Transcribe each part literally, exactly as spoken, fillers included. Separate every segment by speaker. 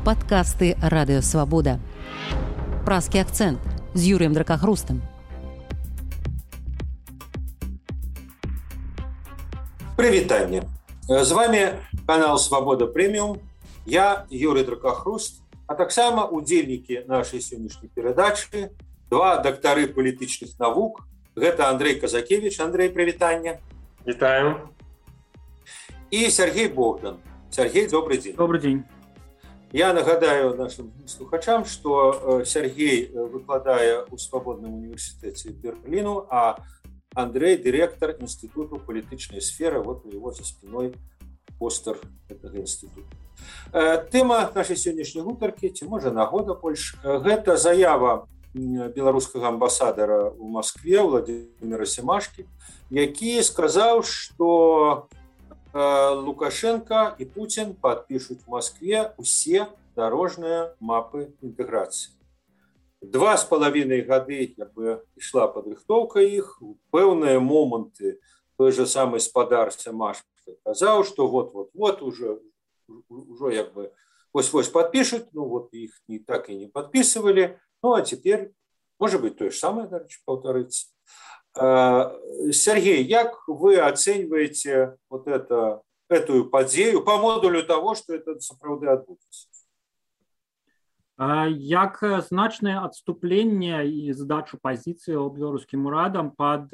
Speaker 1: Падкасты Радыёвабода. Празкі акцэнт з Юрыем Дракахрустам.
Speaker 2: Прывітанне. З вами канал Свабода Прэміум. Я Юрый Дракахруст, а таксама удзельнікі нашай сённяшняй перадачы, два дактары палітычных навук. Гэта Андрей Казакевич. Андрей, прывітанне.
Speaker 3: Вітаем.
Speaker 2: И Сергей Богдан. Сергей, добрый день.
Speaker 3: Добрый день.
Speaker 2: Я нагадаю нашим слухачам, что Сергей выкладае ў Свабодным універсітэце Берліну, а Андрей директор Института палітычнай сферы. Вот у него за спиной постер этого института. Тэма нашай сённяшняй гутаркі, ці можа нагода больш, гэта заява беларускага амбасадара ў Москве Владимира Семашкі, які сказаў, што Лукашенко и Путин подпишут в Москве все дорожные мапы интеграции. Два с половиной годы как бы шла подготовка их, пэўныя моменты той же самой спадар Семашки сказал, что вот-вот-вот уже, уже как бы вось-вось подпишут, ну вот их не, так и не подписывали, ну а теперь, может быть, то же самое, дальше повторится. Сергей, как вы оцениваете вот это, эту подею по модулю того, что это сапраўды адбудзецца?
Speaker 3: Як значнае адступленне і здачу пазіцыі беларускім урадам пад,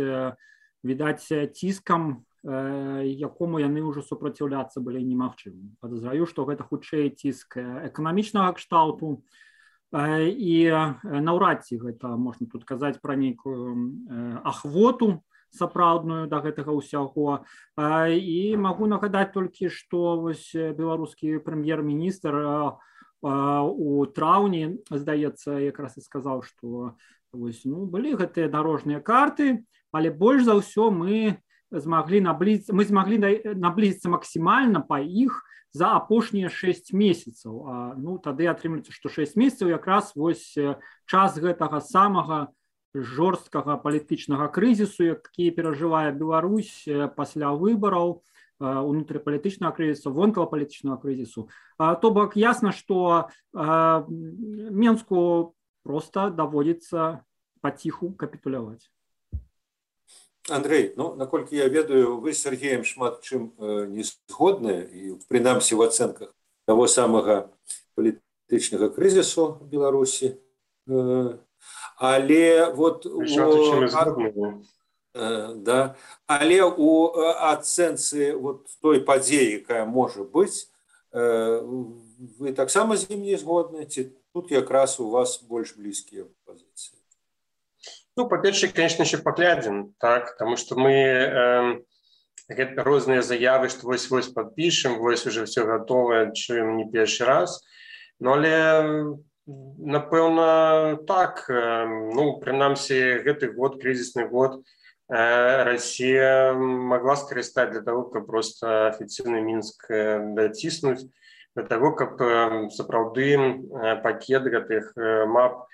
Speaker 3: відаць, ціскам, якому яны ўжо супраціўляцца былі немагчымым. Падазраю, што гэта хутчэй ціск эканамічнага кшталту, і наўрад ці гэта можна тут казаць пра нейкую ахвоту сапраўдную да гэтага ўсяго. І магу нагадаць толькі, што вось беларускі прэм'ер-міністр у траўні, здаецца, якраз і сказаў, што вось, ну, былі гэтыя дарожныя карты, але больш за ўсё мы змаглі наблізіцца, мы змаглі наблізіцца максімальна па іх за апошнія шэсць месяцаў. А, ну, тады атрымліваецца, што шэсць месяцаў якраз вось час гэтага самага жорсткага палітычнага крызісу, які перажывае Беларусь пасля выбараў, унутрыпалітычнага крызісу, вонкавапалітычнага крызісу. То бок ясна, што Менску проста даводзіцца паціху капітуляваць.
Speaker 2: Андрей, ну, наколькі я ведаю, вы з Сергеем шмат чым не згодны, і прынамсі в ацэнках таго самага палітычнага крызісу в Беларусі. Але вот у, да, але у ацэнцы вот той падзеі, якая можа быць, вы таксама з ім не згодны, ці тут якраз у вас больш блізкія пазіцыі?
Speaker 4: Ну, по-перше, конечно, еще поглядим, так, потому что мы э, разные заявы, что вось-вось подпишем, вось уже все готово, чуем не первый раз, но але, напевно, так, э, ну, принамсі, гэты год, кризисный год, э, Россия могла скористать для того, как просто официальный Минск э, дотиснуть, для того, как э, сапраўды э, пакет гэтых э, мап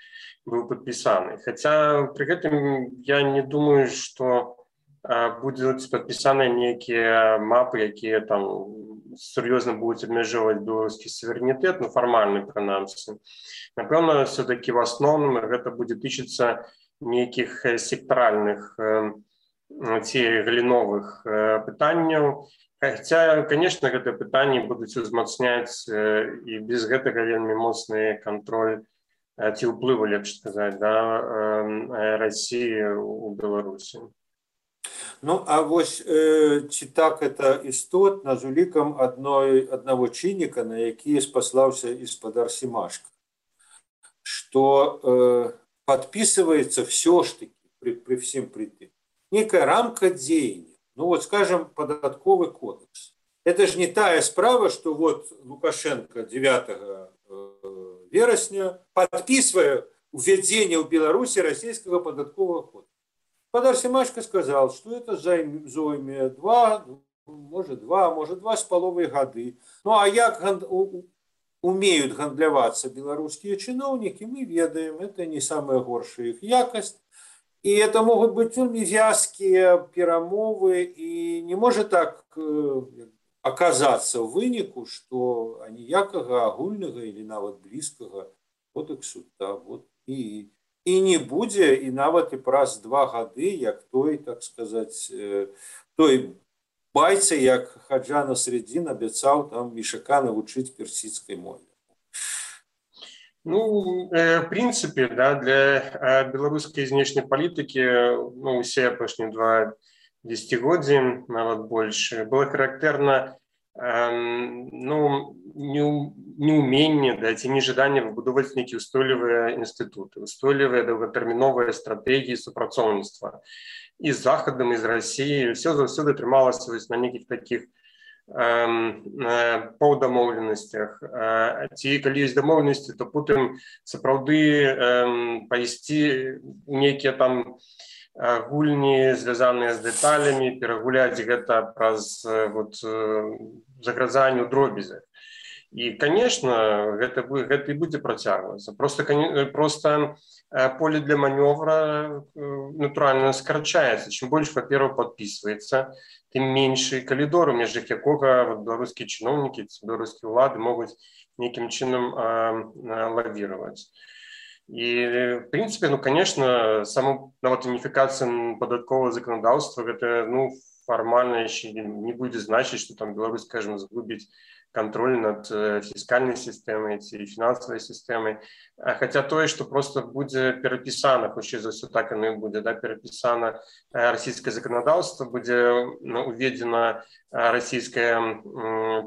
Speaker 4: был подписаны. Хотя при этом я не думаю, что э, будут подписаны некие мапы, якія там серьезно будут обмеживать белорусский суверенитет, ну формальный принамсі. Напевно, все-таки в основном это будет тычыцца неких секторальных э, ці галіновых э, пытанняў. Хотя, конечно, гэтыя пытанні будуць узмацняць э, і без гэтага вельмі моцны контроль ці ўплыву, лепш сказаць, да, России у Беларусі.
Speaker 2: Ну, а вось э, ці так это істотна з улікам адной аднаго чынніка, на які спаслаўся і спадар Семашка, што э, подписывается все ж таки при, при всем при тым некая рамка дзеяння. Ну вот, скажем, податковый кодекс. Это же не тая справа, что вот Лукашенко девятого вересня, подписывая введение в Беларуси российского податкового кодекса. Спадар Семашка сказал, что это зойме два, может два, может два с половой годы. Ну а як умеют гандляваться белорусские чиновники, мы ведаем, это не самая горшая их якость. И это могут быть вельмі вязкие перамовы, и не может так аказацца ў выніку, што аніякага агульнага или нават блізкага кодексу да, вот, і, і не будзе, і нават і праз два гады, як той, так сказаць, той байцы, як Хаджа Насреддин абяцаў там Ішака навучыць персідскай мове.
Speaker 4: Ну, в принципе, да, для белорусской знешней политики, ну, все апошние два десятигодия, нават больше, было характерно, эм, ну, неумение, да, ці нежаданне выбудоваць некие устойлівыя институты, устойлівыя долготэрміновыя стратегии супрацоўніцтва и с Заходом, и с Россией. Все заўсёды трымалася на неких таких по дамоўленасцях. Ці калі ёсць дамоўленасці, то потым сапраўды пайсці нейкія там гульні, звязаныя з дэталямі, перагуляць гэта праз вот, загразанне ў дробязях. І, конечно, гэта, гэта і будзе працягвацца. Просто, просто поле для маневра натуральна скарачаецца. Чым больш папераў падпісваецца, тым меншы калідор, у межах якога беларускія чыноўнікі, беларускія ўлады могуць нейкім чынам лавіраваць. І, в принципе, ну, конечно, сама нават уніфікацыя падаткового законодаўства, гэта, ну, фармальна яшчэ не будзе значыць, што там Беларусь, скажем, згубіць контроль над фіскальнай сістэмай ці фінансавай сістэмай. Хаця тое, што просто будзе перапісана, хутчэй за ўсё так яно і будзе, да, перапісана расійскае заканадаўства, будзе уведзена расійскае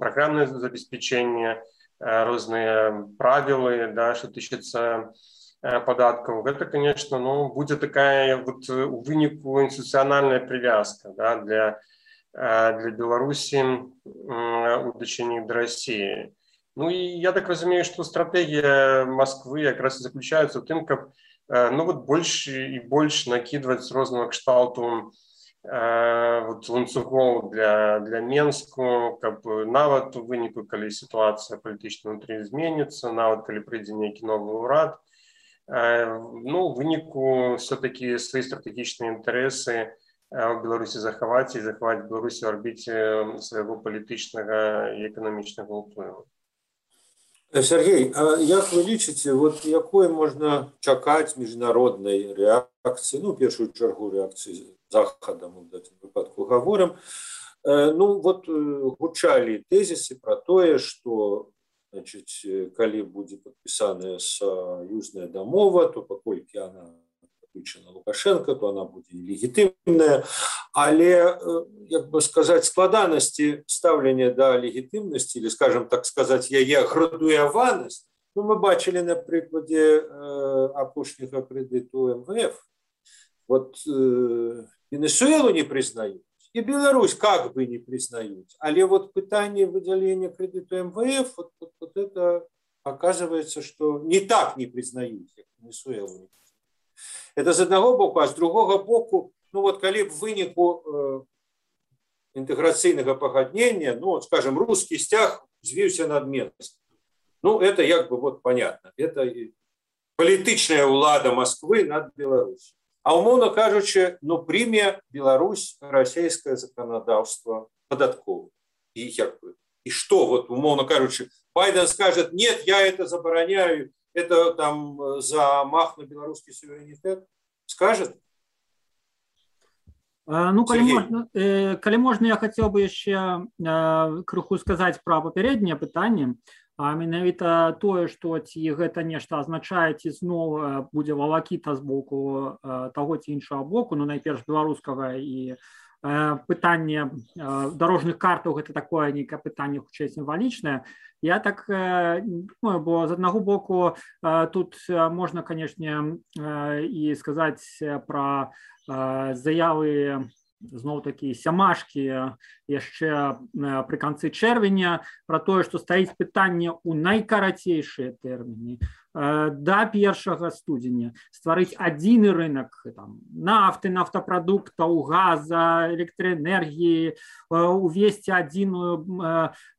Speaker 4: праграмнае забеспячэнне, розныя правілы, да, што тычыцца падаткаў. Гэта, конечно, ну, будзе такая вот у выніку інстытуцыянальная прывязка, да, для для Беларусі у дачыненні да России. Ну и я так разумею, что стратегия Москвы якраз и заключается в тым, каб ну вот больше и больше накидывать розного кшталту вот ланцугоў для для Менску, каб нават у выніку, калі ситуация палітычна внутри зменится, нават калі прыйдзе нейкі новый урад, ну выніку все-таки свои стратегічныя інтарэсы в Беларусі захаваць і захаваць Беларусі ў арбіце свайго палітычнага і эканамічнага ўплыву.
Speaker 2: Сергей, а як вы лічыце, вот якой можна чакаць міжнароднай рэакцыі, ну, першую чаргу рэакцыі Захада, мы в гэтым выпадку гаворым, ну, вот гучалі тэзісы пра тое, што, значыць, калі будзе падпісаная саюзная дамова, то паколькі яна на Лукашенко, то она будет легитимная, але, як бы сказать, складанности ставления до легитимности, или, скажем так сказать, яе градуяванасць, ну, мы бачили на прикладе э, апошняга кредиту эм вэ эф. Вот э, Венесуэлу не признают, и Беларусь как бы не признают, але вот пытание выделения кредиту эм вэ эф, вот, вот, вот это оказывается, что не так не признают, как Венесуэлу не признают. Это з одного боку, а з другого боку, ну вот калі б выніку э, інтэграцыйнага пагаднення, ну вот, скажем, русский сцяг звіўся над Менском. Ну это як бы вот понятно, это палітычная ўлада Москвы над Беларусью. А умоўно кажучы, ну прыме Беларусь расійскае заканадаўства падатковае. И як бы, и что вот умоўно кажучы, Байден скажет: нет, я это забороняю, это там замах на белорусский суверенитет, скажет?
Speaker 3: Ну, калі можна, калі можна, я хотел бы еще крыху сказать про папярэдняе пытанне, а менавіта тое, што ці гэта нешта азначае, ці зноў будзе валакіта з боку таго ці іншага боку, ну, найперш беларускага, і пытанне дорожных картаў гэта такое нейкае пытанне хутчэй сімвалічнае. Я так думаю, бо з аднаго боку тут можна, канешне, і сказаць пра заявы зноў-такі сямашкі яшчэ пры канцы чэрвеня пра тое, што стаіць пытанне ў найкарацейшыя тэрміны да першага студзеня стварыць адзіны рынок там, нафты, нафтапрадуктаў, газа, электраэнергіі, увесці адзіную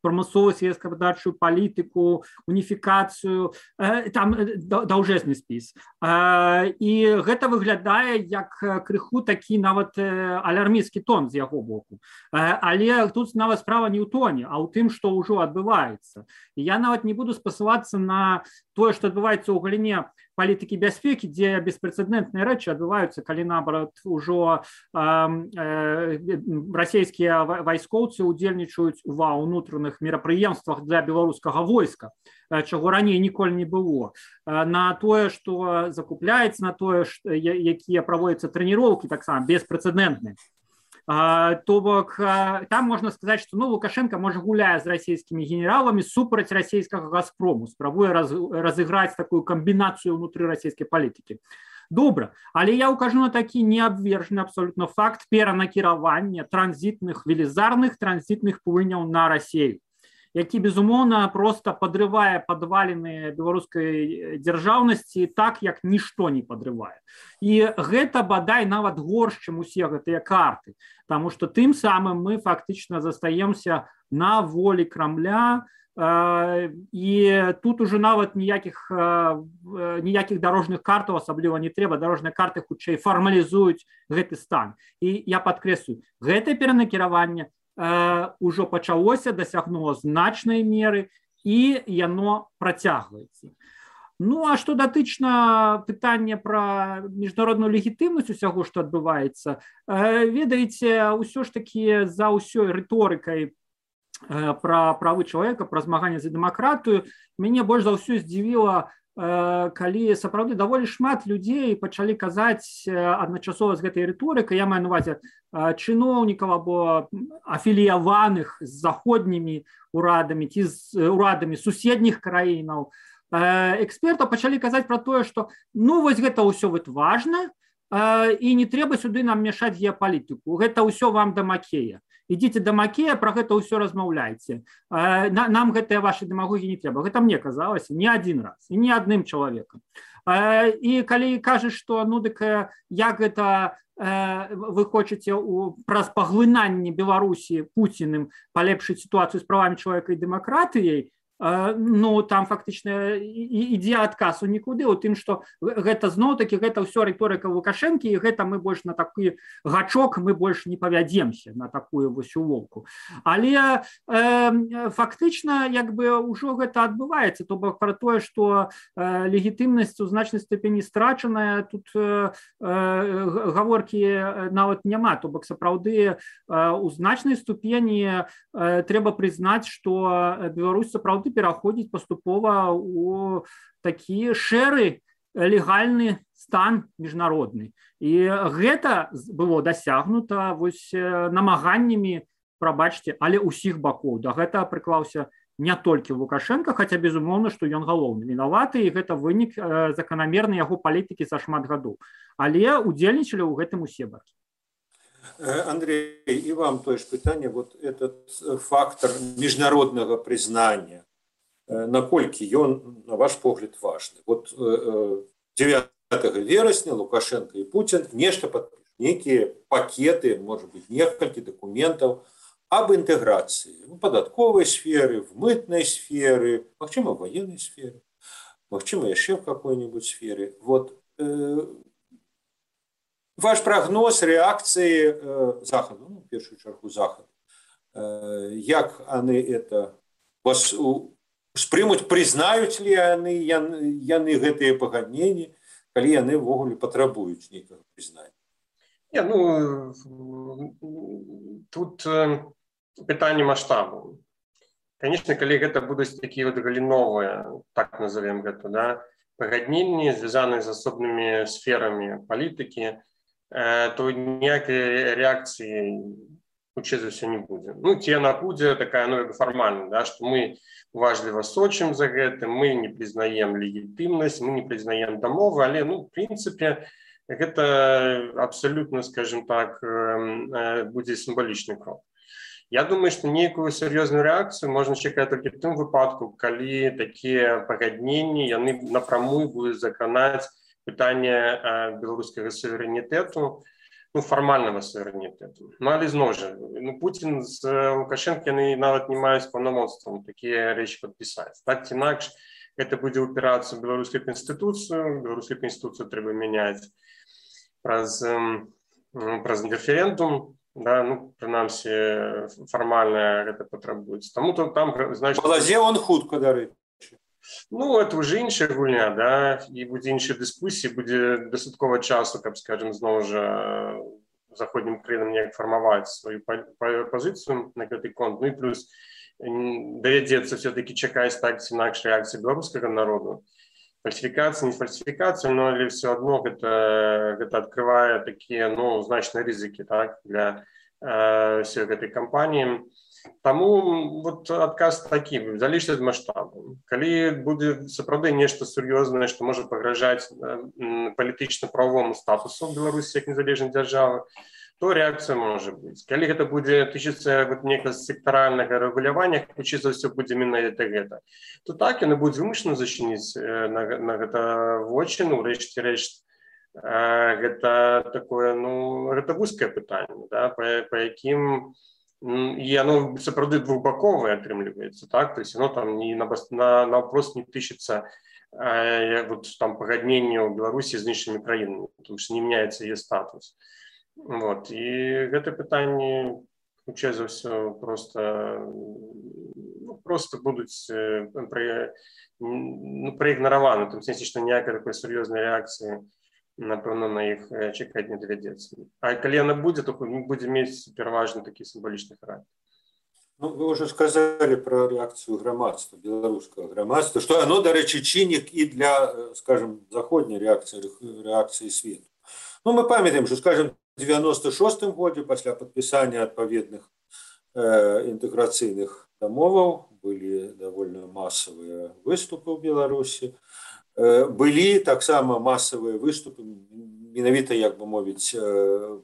Speaker 3: прамысловую сельскагаспадарчую палітыку, уніфікацыю, там даўжэзны спіс. І гэта выглядае як крыху такі нават алярмічны алармісцкі тон з яго боку. Але тут нават справа не ў тоне, а ў тым, што ўжо адбываецца. І я нават не буду спасылацца на тое, што адбываецца ў галіне палітыкі бяспекі, дзе беспрэцэдэнтныя рэчы адбываюцца, калі наоборот ужо расійскія вайскоўцы удзельнічаюць ва ўнутраных мерапрыемствах для беларускага войска, чаго раней ніколі не было, на тое, што закупляецца, на тое, якія праводзяцца трэніроўкі таксама беспрэцэдэнтныя. То бок там можна сказаць, што ну, Лукашенко можа гуляе з расійскімі генералами супраць расійскага Газпрому, спрабуе раз, разыграць такую камбінацыю ўнутры расійскай палітыкі. Добра, але я укажу на такі неабвержаны абсолютно факт перанакіравання транзітных, велізарных транзітных плыняў на Расію, які, безумоўна, просто падрывае падваліны беларускай дзяржаўнасці так, як нішто не падрывае. І гэта, бадай, нават горш, чым усе гэтыя карты, таму што тым самым мы фактычна застаемся на волі Крамля, і тут уже нават ніякіх, ніякіх дарожных картаў асабліва не трэба, дарожныя карты хутчэй фармалізуюць гэты стан. І я падкрэслю, гэтае перанакіраванне ўжо пачалося, дасягнуло значнай меры, і яно працягваецца. Ну, а што датычна пытання пра міжнародную легітымнасць усяго, што адбываецца, ведаеце, ўсё ж такі за ўсёй рыторыкай пра правы чалавека, пра змаганне за дэмакратыю, мяне больш за ўсё здзівіла, калі сапраўды даволі шмат людзей пачалі казаць адначасова з гэтай рыторыкай, я маю на увазе чыноўнікаў або афіліяваных з заходнімі урадамі ці з урадамі суседніх краінаў, экспертаў пачалі казаць пра тое, што ну вось гэта ўсё вот важна, і не трэба сюды нам мяшаць геапалітыку, гэта ўсё вам да Макея. Ідзіце да Макея, пра гэта ўсё размаўляйце. Нам гэтыя ваши дэмагогі не трэба. Гэта мне казалася не адзін раз, і не адным чалавекам. І калі кажаш, што ну дык як гэта вы хочаце праз паглынанне Беларусі Пуціным палепшыць сітуацыю з правамі чалавека і дэмакратыяй, ну там фактычна ідзе адказ у нікуды у тым, што гэта зноў-такі гэта ўсё рыторыка Лукашэнкі, і гэта мы больш на такі гачок мы больш не павядземся на такую вось улоўку. Але э, фактычна як бы ўжо гэта адбываецца, то бок пра тое, што э, легітымнасць у значнай ступені страчаная, тут э, гаворкі нават няма, то бок сапраўды э, у значнай ступені э, трэба прызнаць, што Беларусь сапраўды пераходзіць паступова у такі шэры легальны стан міжнародны. І гэта было дасягнута вось намаганнямі, прабачце, але ўсіх бакоў. Да гэта прыклаўся не толькі Лукашенко, хаця безумоўна, што ён галоўны вінаваты, і гэта вынік заканамернай яго палітыкі за шмат гадоў. Але удзельнічалі ў гэтым усе бакі.
Speaker 2: Андрей, и вам то же питание, вот этот фактор международного признания, наколькі ён, на ваш погляд, важны. Вот дзевятага верасня Лукашенко и Путин нешта подпишут, некие пакеты, может быть, несколько документов об интеграции в податковой сфере, в мытной сфере, махчима в военной сфере, махчима еще в какой-нибудь сфере. Вот ваш прогноз реакции э, Захода, ну, в первую очередь Захода, э, як они это вас спрымуць, признают ли они яны гэтыя пагадненні, калі яны ўвогуле патрабуюць нейкага признання?
Speaker 4: Не, ну, тут э, пытанне маштабу. Конечно, калі гэта будуць такія вот галіновыя, так назовем гэта, да, пагадненні, звязаныя з асобнымі сферамі палітыкі, э, то ніякай рэакцыі хутчэй за ўсё не будзе. Ну, ці яна будзе такая, ну, фармальна, да, што мы уважліва сочым за гэтым, мы не прызнаем легітымнасць, мы не прызнаем дамовы, але, ну, в прынцыпе, гэта абсалютна, скажем так, будзе сімвалічны крок. Я думаю, што нейкую сур'ёзную рэакцыю можна чакаць толькі ў тым выпадку, калі такія пагадненні, яны напрамую будуць закранаць пытанне беларускага суверэнітэту, ну, фармальнага суверэнітэту. Ну, але зноў жа, ну, Путін з Лукашенко, яны нават не маюць паўнамоцтвам такія рэчы падпісаць. Так ці інакш, гэта будзе ўпірацца ў беларускую канстытуцыю, беларускую канстытуцыю трэба мяняць праз, праз референдум, да, ну, прынамсі фармальна гэта патрабуецца. Таму то там, значыць,
Speaker 2: балазе он хутка, дарэчы.
Speaker 4: Ну, это уже іншая гульня, да, і будзе іншая дыскусія, будзе дастаткова часу, каб, скажем, зноў жа заходнім краінам неяк фармаваць сваю пазіцыю на гэты конт. Ну і плюс давядзецца все-таки чакаць так ці інакш рэакцыі беларускага народу. Фальсификация, не фальсификация, но или все одно это, это открывает такие, ну, значные ризики, так, для э, всей этой компании. Тому вот отказ такі, залежить від масштабу. Коли буде сапраўды нешта сур'ёзнае, што можа пагражаць э, палітычна-правовому статусу Беларусі як незалежнай дзяржавы, то реакция может быть. Коли это будет тычыцца вот некага сектаральнага рэгулявання, хутчэй за ўсё будзе менавіта гэта, то так яны будуць вымушаны зачыніць на, на гэта вочы, ну, рэшце рэшт, гэта такое, ну, гэта вузкае пытанне, да, па, па якім і оно сапраўды двухбаковае атрымліваецца, так, то есть оно там не на, на, на вопрос не тычыцца э, вот там пагадненне ў Беларусі з іншымі краінамі, потому что не меняется яе статус. Вот, і гэта пытанне, хутчэй за ўсё, просто, ну, просто будуць э, пра, ну, праігнараваны, в том сенсе, што ніякай такой сур'ёзнай рэакцыі, напэўна, на іх чакаць не давядзецца. А калі яна будзе, то будзе мець пераважна такі сімвалічны характар.
Speaker 2: Ну, вы уже сказали про реакцию громадства, белорусского громадства, что оно, дарэчы, чыннік і для, скажем, заходняй реакции, реакции свету. Ну, мы памятаем, что, скажем, в девяносто шостым годзе пасля падпісання адпаведных э, інтэграцыйных дамоваў былі давольна масавыя выступы ў Беларусі. Э, былі таксама масавыя выступы, менавіта, як бы мовіць, э,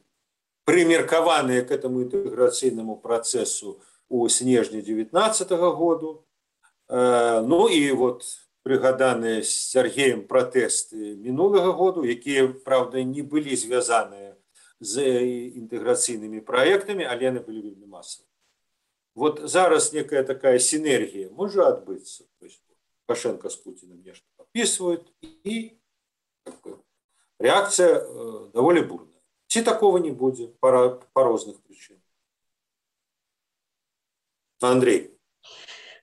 Speaker 2: прымеркаваныя к этому інтэграцыйнаму працэсу у снежні девятнадцатого году. Э, ну і вот прыгаданыя з Сергеем пратэсты мінулага году, якія, правда, не былі звязаныя з інтэграцыйнымі праектамі, але яны былі вельмі масавыя. Вот зараз некая такая синергия может отбыться. То есть Лукашенко с Путиным нечто подписывают, и как бы, реакция э, довольно бурная. Ці такого не будет по, по разных причинам. Андрей.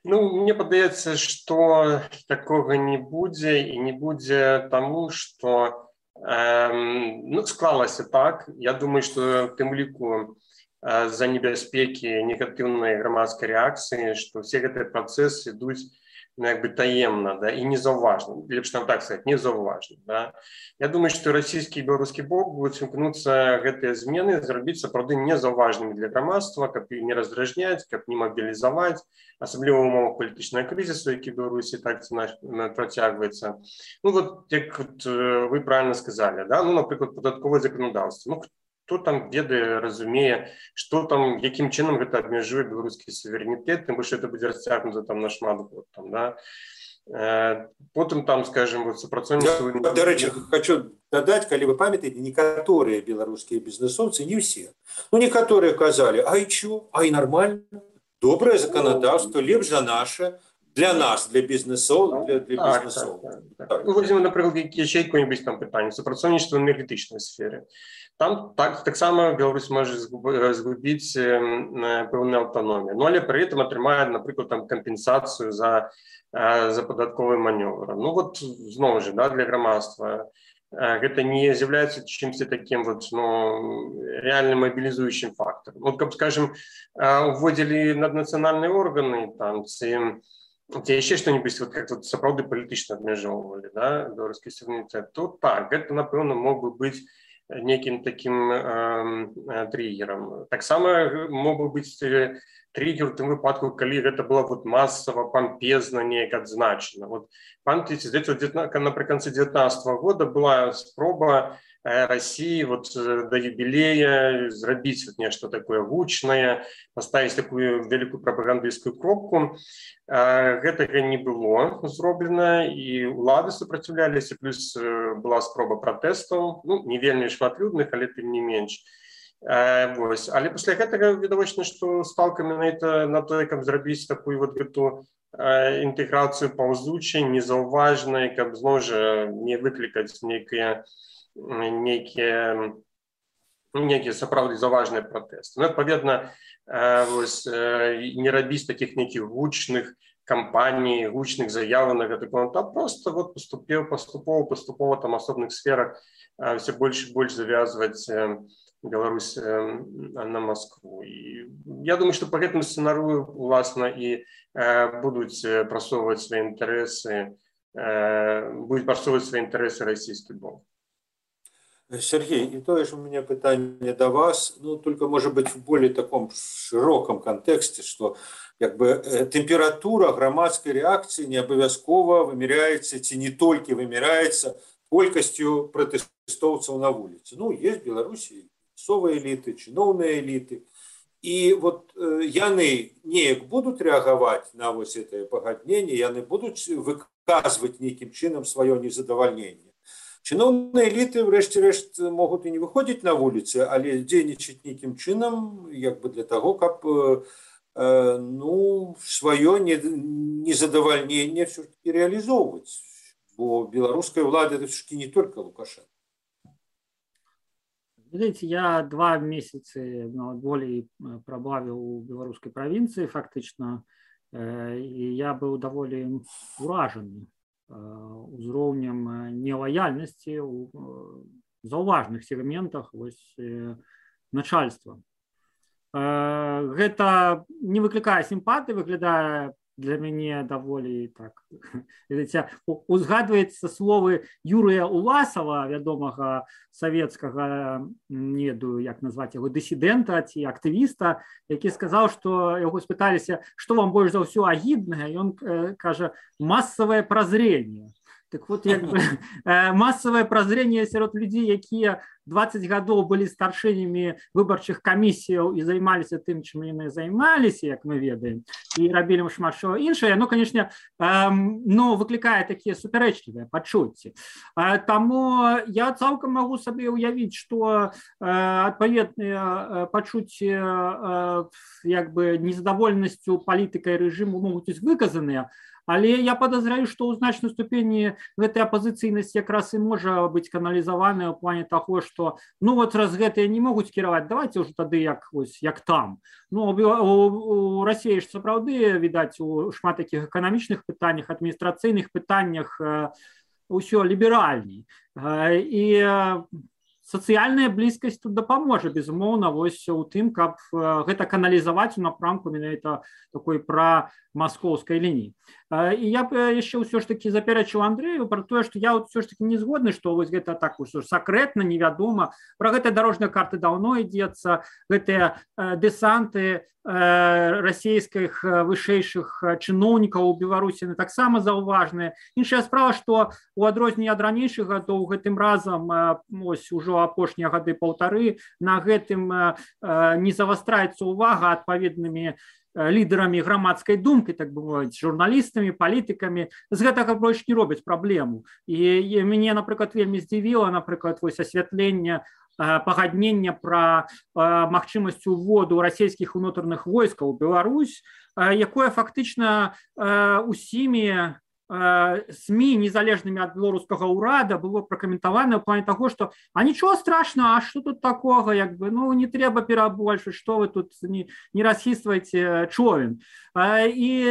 Speaker 4: Ну, мне падаецца, што такога не будзе, і не будзе таму, што эм, ну, склалася так. Я думаю, што тым ліку э, з-за небяспекі негатыўнай грамадскай рэакцыі, што ўсе гэтыя працэсы ідуць, ну, як бы таемна, да, і незаўважна, лепш нам так сказаць, незаўважна, да. Я думаю, што расійскі і беларускі бок будуць імкнуцца гэтыя змены зрабіць сапраўды незаўважнымі для грамадства, каб не раздражняць, каб не мабілізаваць, асабліва ў умовах палітычнага крызісу, які ў Беларусі так ці інакш працягваецца. Ну, вот, як вот, вы правильно сказали, да, ну, напрыклад, падатковае заканадаўства. Ну, хто там ведае, разумее, што там, якім чынам гэта абмяжуе беларускі суверэнітэт, тым больш это будзе расцягнута там на шмат год, там, да. Э, потым там, скажем, вот супрацоўніцтва...
Speaker 2: Я, до речі, хочу дадаць, калі вы памятаеце, некаторыя беларускія бізнесоўцы, не ўсе, ну, некаторыя казалі, а і чё, а і нормально, добрае заканадаўства, лепш за наше, для нас, для бізнесоў, для, для
Speaker 4: так,
Speaker 2: бізнесоў.
Speaker 4: Так, так, так. Ну, возьмем, напрыклад, яшчэ якое-нибудь там пытанне, супрацоўніцтва ў энергетычнай сферы. Там так, таксама Беларусь можа згубіць э, пэўную аўтаномію. Ну, але пры этом атрымае, напрыклад, там кампенсацыю за, э, за падатковы манёвр. Ну, вот, зноў жа, да, для грамадства э, гэта не з'яўляецца чымсьці такім вот, ну, реально мобілізуючым фактарам. Вот, каб, скажем, э, уводзілі наднацыянальныя органы, там, ці ці яшчэ што-нибудь, вот, как вот, сапраўды палітычна абмяжоўвалі, да, беларускі суверэнітэт, то так, гэта, напэўна, мог бы быць неким таким э, триггером. Так само мог бы быть триггер в том выпадку, коли это было вот массово, помпезно, неяк адзначено. Вот, памятаете, напрыканцы девятнадцатого года была спроба э, России вот до юбилея зрабіць вот нешта такое гучнае, поставить такую великую пропагандистскую кропку. Э, гэтага не было зроблена, і улады супраціўляліся, плюс э, была спроба пратэстаў, ну, не вельмі шматлюдных, але тым не менш. Э, вось. Але пасля гэтага відавочна, што сталка менавіта на тое, каб зрабіць такую вот гэту э, інтэграцыю паўзучай, незаўважнай, каб зноў жа не выклікаць нейкія нейкія некія сапраўды заважныя пратэсты. Ну, адпаведна, вось, не рабіць такіх нейкіх гучных кампаній, гучных заяваў на гэты конт, а просто вот поступіў паступова, паступова там асобных сферах все больш і больш завязваць Беларусь на Москву. І я думаю, што па гэтым сцэнарыю уласна і будуць прасоўваць свае інтарэсы, будуць прасоўваць свае інтарэсы расійскі бок.
Speaker 2: Сергей, и то же у меня питание до вас, ну, только, может быть, в более таком широком контексте, что как бы температура громадской реакции не обовязково вымеряется, ці не только вымеряется колькостью протестовцев на улице. Ну, есть в Беларуси совые элиты, чиновные элиты, и вот э, яны неяк будут реагировать на вот это погоднение, яны будут выказывать неким чином свое незадовольнение. Чиновные элиты, врешті-решт, могут и не выходить на улицы, але дзейнічаць неким чином, як бы для того, как э, ну, свое незадовольнение все-таки реализовывать. Бо белорусская влада это все-таки не только Лукашенко.
Speaker 3: Видите, я два месяца ну, более пробавил у белорусской провинции, фактично, э, и я был довольно уражен узроўнем нелояльности у заўважных сегментах вось, начальства. Гэта не выклікае сімпатыі, выглядае для мяне даволі так. Узгадваецца словы Юрыя Уласава, вядомага савецкага, не ведаю, як назваць яго, дысідэнта ці актывіста, які сказаў, што яго спыталіся, што вам больш за ўсё агіднае, і ён кажа, масавае празренне. Так вот, як бы, массовое прозрение сярод людей, якія двадцать гадоў былі старшынямі выбарчых камісіяў і займаліся тым, чым яны займаліся, як мы ведаем, і рабілі шмат што іншае, ну, конечно, ну, выклікае такія супярэчлівыя пачуцці. Таму я цалкам магу сабе ўявіць, што адпаведныя пачуцці як бы незадаволенасцю палітыкай рэжыму могуць быць выказаныя, але я подозряю, што ў значнай ступені гэтая апазіцыйнасць якраз і можа быць каналізаваная ў плане таго, што ну вот раз гэтыя не могуць кіраваць, давайте ўжо тады як, ось, як там. Ну, у, у Расіі ж сапраўды, відаць, у шмат такіх эканамічных пытаннях, адміністрацыйных пытаннях ўсё ліберальней. І сацыяльная блізкасць тут дапаможа, безумоўна, вось у тым, каб гэта каналізаваць у напрамку менавіта такой пра маскоўскай лініі. І я б яшчэ ўсё ж такі запярэчыў Андрэю пра тое, што я ўсё ж такі не згодны, што вось гэта так ўсё сакрэтна, невядома. Пра гэтыя дарожныя карты даўно ідзецца, гэтыя дэсанты расійскіх вышэйшых чыноўнікаў у Беларусі таксама заўважныя. Іншая справа, што у адрозненне ад ранейшых гадоў гэтым разам ось ужо апошнія гады паўтары на гэтым не завастраецца увага адпаведнымі лідарамі грамадскай думкі, так бы мовіць, журналістамі, палітыкамі. З гэтага больш не робяць праблему. І, і мяне, напрыклад, вельмі здзівіла, напрыклад, вось асвятленне пагаднення пра магчымасць уводу расійскіх унутраных войскаў у Беларусь, якое фактычна усімі СМИ, незалежными от белорусского урада, было прокомментовано в плане того, что а ничего страшного, а что тут такого, як бы, ну не треба перебольшить, что вы тут не, не расхистываете човен. И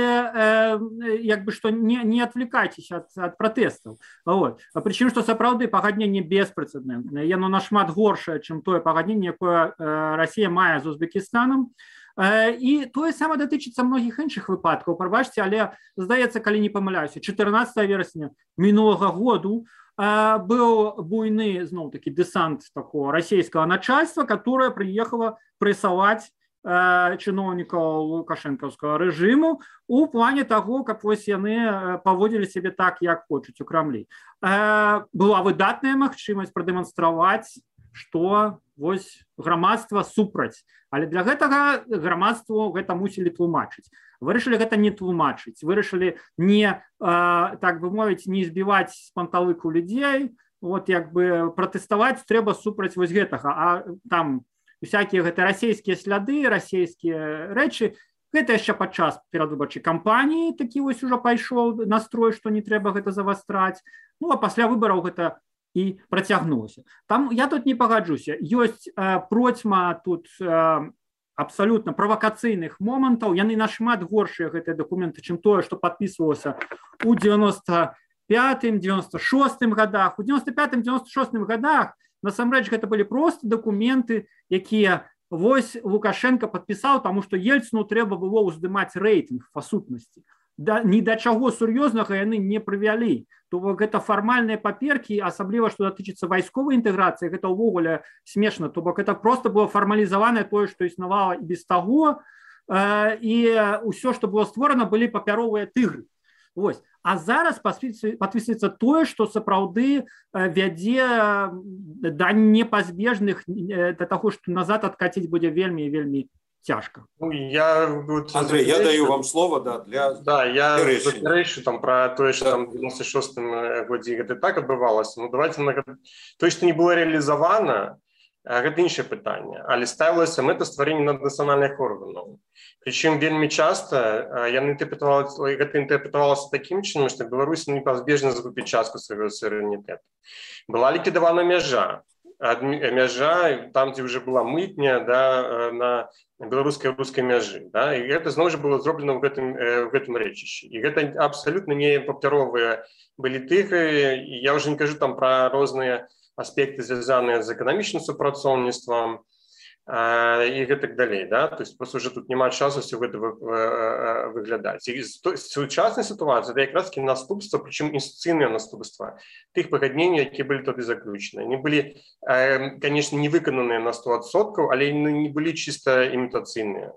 Speaker 3: як бы, что не, не отвлекайтесь от, от протестов. Вот. Причем, что сапраўды пагадненне беспрэцэдэнтнае, яно нашмат горшае, чым тое пагадненне, якое Россия мае з Узбекістанам. І тое саме датычыцца многіх іншых выпадкаў. Прабачце, але, здаецца, калі не памыляюся, чатырнаццатага верасня мінулага году быў буйны, зноў-такі, дэсант такого расійскага начальства, которое приехало прэсаваць чыноўнікаў лукашэнкаўскага рэжыму у плане таго, каб вось яны паводзілі сябе так, як хочуць у Крамлі. Была выдатная магчымасць прадэманстраваць, што вось грамадства супраць. Але для гэтага грамадству гэта мусілі тлумачыць. Вырашылі гэта не тлумачыць, вырашылі не, так бы мовіць, не збіваць з панталыку людзей, вот як бы пратэставаць трэба супраць вось гэтага. А там всякія гэта расійскія сляды, расійскія рэчы, гэта яшчэ падчас перадвыбарчай кампаніі такі вось ужо пайшоў настрой, што не трэба гэта завастраць. Ну, а пасля выбараў гэта і працягнулася. Там я тут не пагаджуся. Ёсць э, процьма тут э, абсалютна правакацыйных момантаў, яны нашмат горшыя гэтыя дакументы, чым тое, што падпісвалася у девяносто пятым девяносто шостым годах. У девяносто пятым девяносто шостым годах насамрэч гэта былі просто дакументы, якія вось Лукашенко падпісаў, таму што Ельцыну трэба было ўздымаць рэйтынг па сутнасці. Да, ні да чаго сур'ёзнага яны не прывялі. То бок гэта фармальныя паперкі, асабліва што датычыцца вайсковай інтэграцыі, гэта ўвогуле смешна. То бок это просто было фармалізаванае тое, што існавала і без таго, э, і ўсё, што было створана, былі папяровыя тыгры. Вось. А зараз падпісваецца тое, што сапраўды вядзе да непазбежных, да таго, што назад адкаціць будзе вельмі і вельмі тяжко.
Speaker 4: Ну, я, вот,
Speaker 2: Андрей, я даю вам слово, да, для
Speaker 4: да, я заперечу там про то, что там в девяносто шостым годзе это так адбывалася. Ну, давайте на то, что не было реализовано, гэта іншае пытанне, але ставілася мэта стварэння наднацыянальных органаў. Прычым вельмі часта яны інтэрпрэтавалася, гэта інтэрпрэтавалася такім чынам, што Беларусь непазбежна загубіць частку свайго суверэнітэту. Была ліквідавана мяжа, мяжа там, дзе ўжо была мытня, да, на беларускай рускай мяжы, да, і гэта зноў жа было зроблена ў гэтым, в гэтым рэчышчы. І гэта абсалютна не папяровыя былі тыгры, і я ўжо не кажу там пра розныя аспекты, звязаныя з эканамічным супрацоўніцтвам э, і гэтак далей, да, то есть просто уже тут няма часу все гэта выглядаць. І сучасная сітуацыя это якраз таки наступства, прычым інстытуцыйныя наступства тых пагадненняў, якія былі тады заключаны. Они былі, э, конечно, не выкананыя на сто адсоткаў, але не былі чыста імітацыйныя.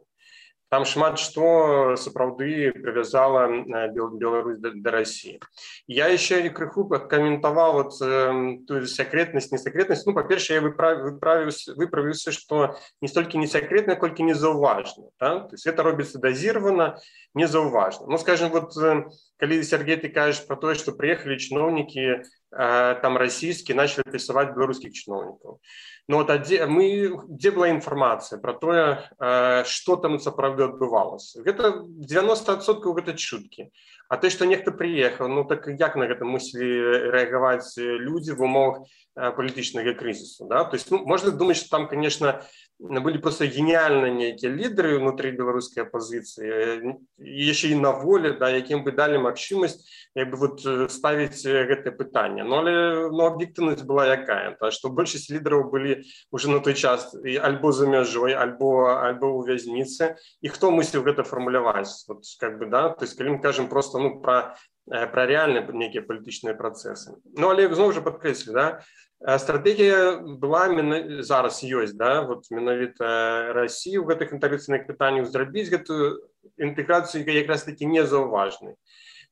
Speaker 4: Там шмат што сапраўды прывязала Беларусь да, да России. Я еще крыху каментаваў вот, э, ту секретность, не секретность. Ну, по-перше, я выправіўся, выправіўся, что не столькі не секретно, колькі не заўважна. Да? То есть это робіцца дозировано, не заўважна. Ну, скажем, вот, э, калі Сергей, ты кажешь про то, что приехали чиновники э, там российские, начали прессовать белорусских чиновников. Но вот где, мы, где была информация про то, э, что там сапраўды адбывалася? Это девяносто адсоткаў гэта чуткі. А то, что нехто приехал, ну так як на гэта мусілі рэагаваць люди в умовах э, палітычнага кризису, да? То есть, ну, можно думать, что там, конечно, были просто гениальные некие лидеры внутри белорусской оппозиции, еще и на воле, да, яким бы дали магчымасць як бы вот ставить гэтае пытанне. Но, но объективность была якая, то, что большасць лидеров были уже на той час альбо за мяжой, альбо, альбо у вязницы. И кто мусіў гэта фармуляваць? Вот, как бы, да? То есть, калі мы кажем просто ну, про, про реальные некие политические процессы. Ну, але зноў жа падкрэслю, да? Стратегія была зараз ёсць, да, вот менавіта России ў гэтых інтэграцыйных пытаннях зрабіць гэтую інтэграцыю якраз таки не заўважнай.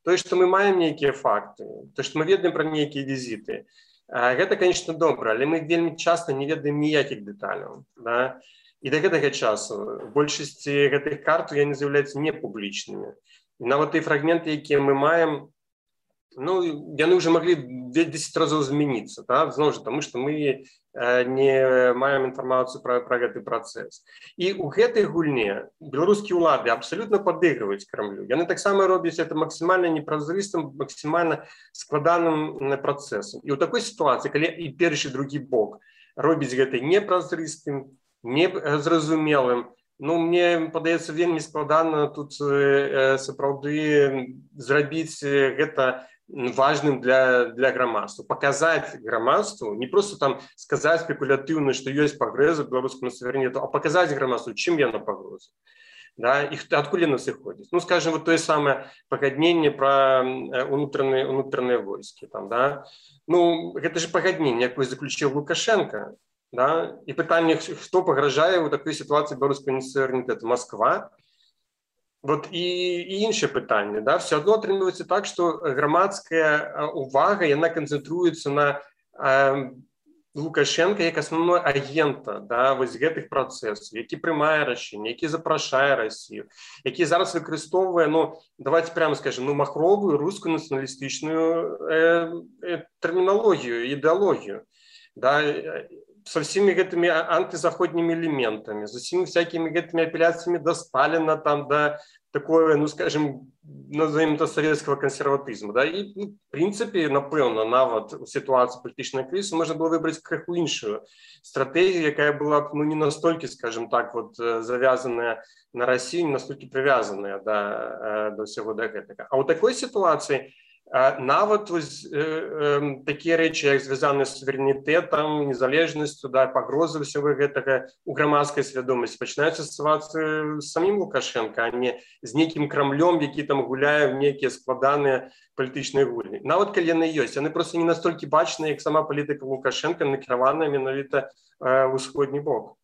Speaker 4: То, што мы маем нейкія факты, то, што мы ведаем пра нейкія візіты, гэта, конечно, добра, але мы вельмі часта не ведаем ніякіх дэталяў. Да? І да гэтага часу большасці гэтых карт яны з'яўляюцца непублічнымі. І нават тыя фрагменты, якія мы маем, ну, яны уже могли десять разоў змяніцца, да? Зноў жа, тому што мы э, не маем інфармацыю пра, пра гэты працэс. І ў гэтай гульне беларускія ўлады абсалютна падыгрываюць Крамлю. Яны таксама робяць это максімальна непразрыстым, максімальна складаным працэсам. І ў такой сітуацыі, калі і першы, і другі бок робіць гэта непразрыстым, незразумелым, ну, мне падаецца вельмі складана тут э, сапраўды зрабіць гэта важным для, для грамадства. Показать грамадству, не просто там сказать спекулятивно, что есть погроза белорусскому суверенитету, а показать грамадству, чем яна погроза. Да, и откуда она исходит. Ну, скажем, вот то самое погоднение про внутренние, внутренние войски. Там, да. Ну, это же погоднение, якое заключил Лукашенко. Да, и питание, кто погрожает в такой ситуации белорусского суверенитета? Москва. Вот і, і інше питання, да, все одно отримується так, що громадська увага, вона концентрується на е, Лукашенка як основного агента, да, ось гэтых процесів, який приймає рішення, який запрошує Росію, який зараз використовує, ну, давайте прямо скажемо, ну, махрову русську націоналістичну е, е, термінологію, ідеологію. Да. со всеми этими антизаходными элементами, со всеми всякими этими апелляциями до Сталина, там, до такого, ну, скажем, назовем это советского консерватизма. Да? И, ну, в принципе, напевно, нават у ситуації політичної кризи можна було вибрати криху іншу стратегію, яка була б, ну, не настільки, скажем так, вот, зав'язана на Росію, не настільки прив'язана да, до всього до этого. А у такої ситуації нават ось, е, е, такі речі, як зв'язані з суверенітетом, незалежністю, да, погрози всього гэтага у громадської свідомості, починаються ставатися з самим Лукашенко, а не з неким Кремлем, який там гуляє в некі складані політичні гульні. Нават коли вони є, вони просто не настільки бачні, як сама політика Лукашенка, накерована менавіта е, в усходній бок.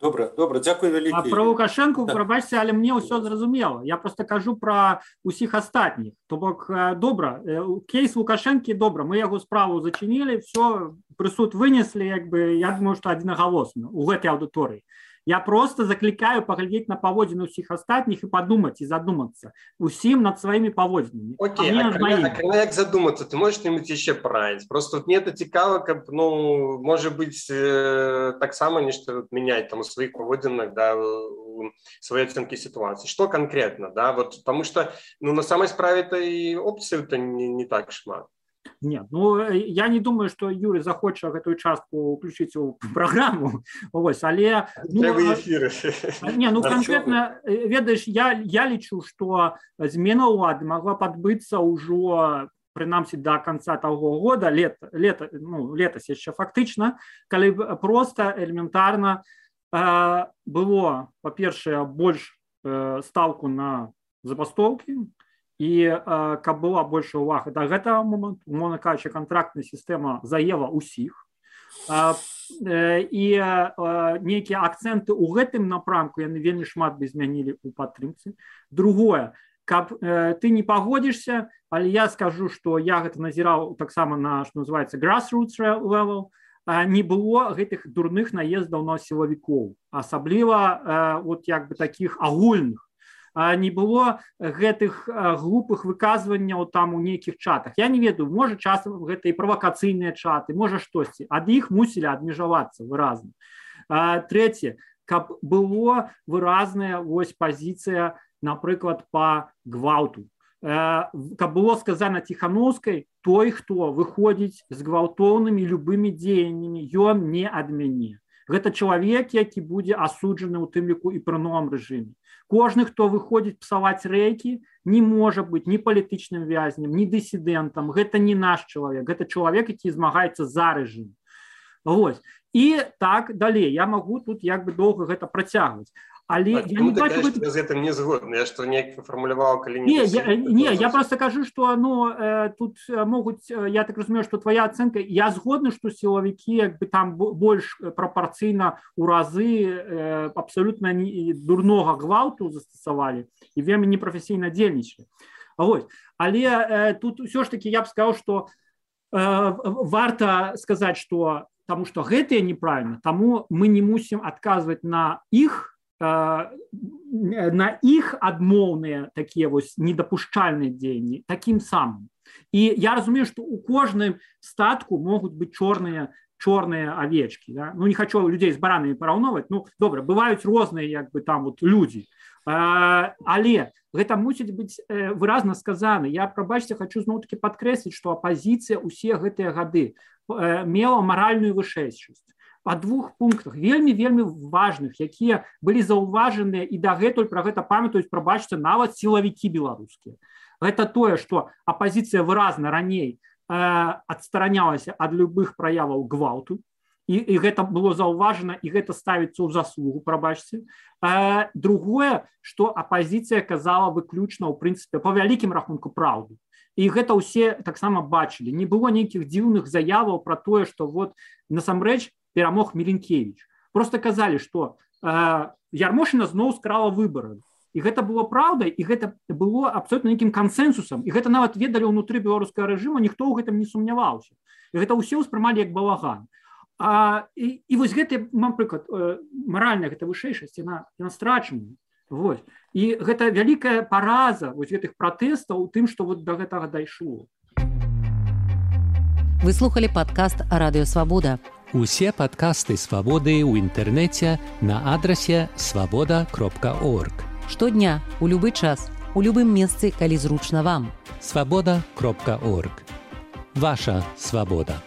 Speaker 2: Добре, добре, дякую велике.
Speaker 3: А про Лукашенку, пробачте, але мне ўсё зразумела. Я просто кажу про усіх астатніх. То бок, добра, кейс Лукашенки, добра, мы яго справу зачинили, все, прысуд вынесли, як бы, я думаю, что аднагалосна у гэтай аўдыторыі. Я просто закликаю поглядеть на поводины всех остальных и подумать, и задуматься. Усим над своими поводинами.
Speaker 4: Окей, а, а коли як задуматься, ты можешь что-нибудь еще порадить? Просто вот мне это цікаво, как, ну, может быть, э, так само нечто вот, менять там у своих поводинах, да, у своей оценки ситуации. Что конкретно, да, вот, потому что, ну, на самой справе-то и опций-то не, не так шмат.
Speaker 3: Нет, ну, я не думаю, что Юрий захоча эту частку включить у программу, ось, але... Ну, не, ну, конкретно, ведаешь, я, я лічу, что змена улады могла подбыться уже, принамсі, до конца того года, лето, лето, ну, летась еще фактично, калі просто элементарно э, было, по-першае, больш э, ставку на забастовки, і э, каб была больше ўвага да гэтага моманту, умоўна кажучы, кантрактная сістэма заела ўсіх, э, э, і э, нейкія акцэнты ў гэтым напрамку яны вельмі шмат бы змянілі ў падтрымцы. Другое, каб э, ты не пагодзішся, але я скажу, што я гэта назіраў таксама на, што называецца, grassroots level, э, не было гэтых дурных наездаў на сілавікоў, асабліва э, вот як бы такіх агульных. Не было гэтых глупых выказванняў там у нейкіх чатах. Я не ведаю, можа часам гэта і правакацыйныя чаты, можа штосьці. Ад іх мусілі адмежавацца выразна. Трэцяе, каб было выразная вось пазіцыя, напрыклад, па гвалту. Каб было сказана Ціхановскай, той, хто выходзіць з гвалтоўнымі любымі дзеяннямі, ён не ад мяне. Гэта чалавек, які будзе асуджаны ў тым ліку і пры новым рэжыме. Кожны, хто выходзіць псаваць рэйкі, не можа быць ні палітычным вязнем, ні дысідэнтам. Гэта не наш чалавек, гэта чалавек, які змагаецца за рэжым. Вось. І так далей. Я магу тут як бы доўга гэта працягваць. Але
Speaker 4: а
Speaker 3: я не бачу
Speaker 4: гэта... з гэтым не згодны. Я што неяк фармуляваў, калі не...
Speaker 3: Не, я, не, я просто кажу, што ну, э, тут могуць, я так разумею, што твоя ацэнка, я згодны, што сілавікі як бы там больш прапарцыйна ў разы э, абсалютна не, дурнога гвалту застасавалі і вельмі непрафесійна дзейнічалі. Вось. Але э, тут ўсё ж такі я б сказаў, што э, варта сказаць, што таму што гэтыя неправільна, таму мы не мусім адказваць на іх, на іх адмоўныя такія вось недапушчальныя дзеянні такім самым. І я разумею, што ў кожным статку могуць быць чорныя чорныя авечкі. Да? Ну, не хочу людзей з баранамі параўноўваць. Ну, добра, бываюць розныя як бы там вот людзі. Але гэта мусіць быць выразна сказана. Я, прабачце, хочу зноў-такі падкрэсліць, што апазіцыя ўсе гэтыя гады мела маральную вышэйшасць. Па двух пунктах, вельмі-вельмі важных, якія былі заўважаныя і дагэтуль пра гэта памятаюць, прабачце, нават сілавікі беларускія. Гэта тое, што апазіцыя выразна раней э, адстаранялася ад любых праяваў гвалту, і, і гэта было заўважана, і гэта ставіцца ў заслугу, прабачце. Э, другое, што апазіцыя казала выключна, ў прынцыпе, па вялікім рахунку праўду. І гэта ўсе таксама бачылі. Не было нейкіх дзіўных заяваў пра тое, што вот насамрэч перамог Міленкевіч. Просто казалі, што э, Ярмошына зноў скрала выбары. І гэта было праўдай, і гэта было абсолютна нейкім кансэнсусам. І гэта нават ведалі ўнутры беларускага рэжыму, ніхто ў гэтым не сумняваўся. І гэта ўсе ўспрымалі як балаган. А, і, і вось гэта, напрыклад, э, маральная гэта вышэйшасць, яна, яна страчана. Вось. І гэта вялікая параза вось гэтых пратэстаў у тым, што вот да гэтага дайшло.
Speaker 1: Вы слухали падкаст «Радыё Свабода».
Speaker 5: Усе падкасты «Свабоды» ў інтэрнэце на адрасе свабода кропка орг.
Speaker 1: Штодня, у любы час, у любым месцы, калі зручна вам.
Speaker 5: свабода кропка орг. Ваша свабода.